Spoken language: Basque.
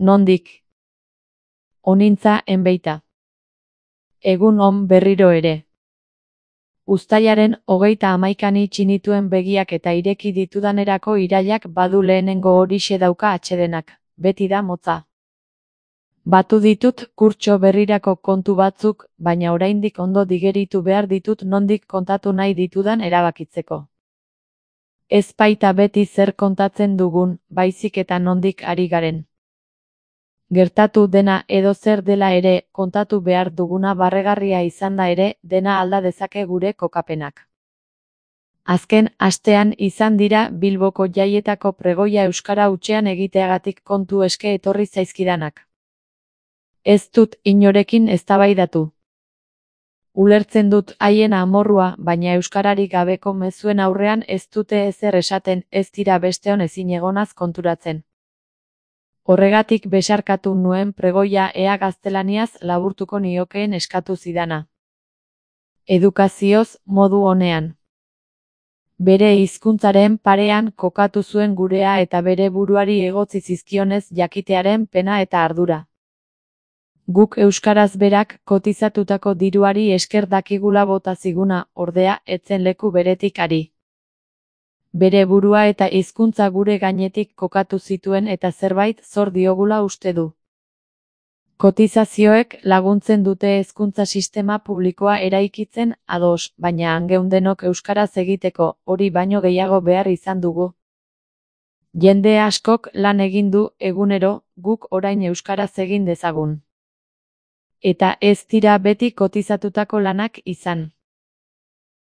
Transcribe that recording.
Nondik? Onintza enbeita. Egun on berriro ere. Uztailaren 31 itxi nituen begiak eta ireki ditudanerako irailak badu lehenengo horixe dauka atsedenak, beti da motza. Batu ditut kurtso berrirako kontu batzuk, baina oraindik ondo digeritu behar ditut nondik kontatu nahi ditudan erabakitzeko. Ez baita beti zer kontatzen dugun, baizik eta nondik ari garen. Gertatu dena edo zer dela ere, kontatu behar duguna barregarria izanda ere, dena alda dezake gure kokapenak. Azken astean izan dira Bilboko jaietako pregoia euskara hutsean egiteagatik kontu eske etorri zaizkidanak. Ez dut inorekin eztabaidatu. Ulertzen dut haien amorrua, baina euskararik gabeko mezuen aurrean ez dute ezer esaten, ez dira besteon ezinegonaz konturatzen. Horregatik besarkatu nuen pregoia ea gaztelaniaz laburtuko niokeen eskatu zidana. Edukazioz, modu onean. Bere hizkuntzaren parean kokatu zuen gurea eta bere buruari egotzi zizkionez jakitearen pena eta ardura. Guk euskaraz berak kotizatutako diruari esker dakigula bota ziguna, ordea, etzen leku beretik ari. Bere burua eta hizkuntza gure gainetik kokatu zituen eta zerbait zor diogula uste du. Kotizazioek laguntzen dute hezkuntza sistema publikoa eraikitzen ados, baina hangeundenok euskaraz egiteko, hori baino gehiago behar izan dugu. Jende askok lan egin du egunero, guk orain euskaraz egin dezagun. Eta ez dira beti kotizatutako lanak izan.